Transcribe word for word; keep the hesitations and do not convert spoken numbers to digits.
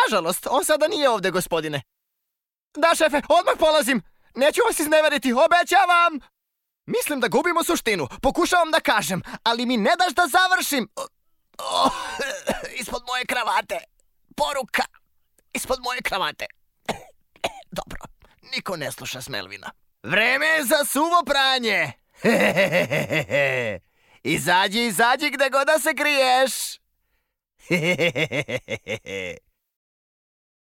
Nažalost, on sada nije ovde, gospodine. Da, šefe, odmah polazim. Neću vas izneveriti, obećavam. Mislim da gubimo suštinu. Pokušavam da kažem, ali mi ne daš da završim. Oh, ispod moje kravate. Poruka. Ispod moje kravate. Dobro, niko ne sluša Smelvina. Vreme je za suvo pranje. Izađi, izađi gde god da se kriješ.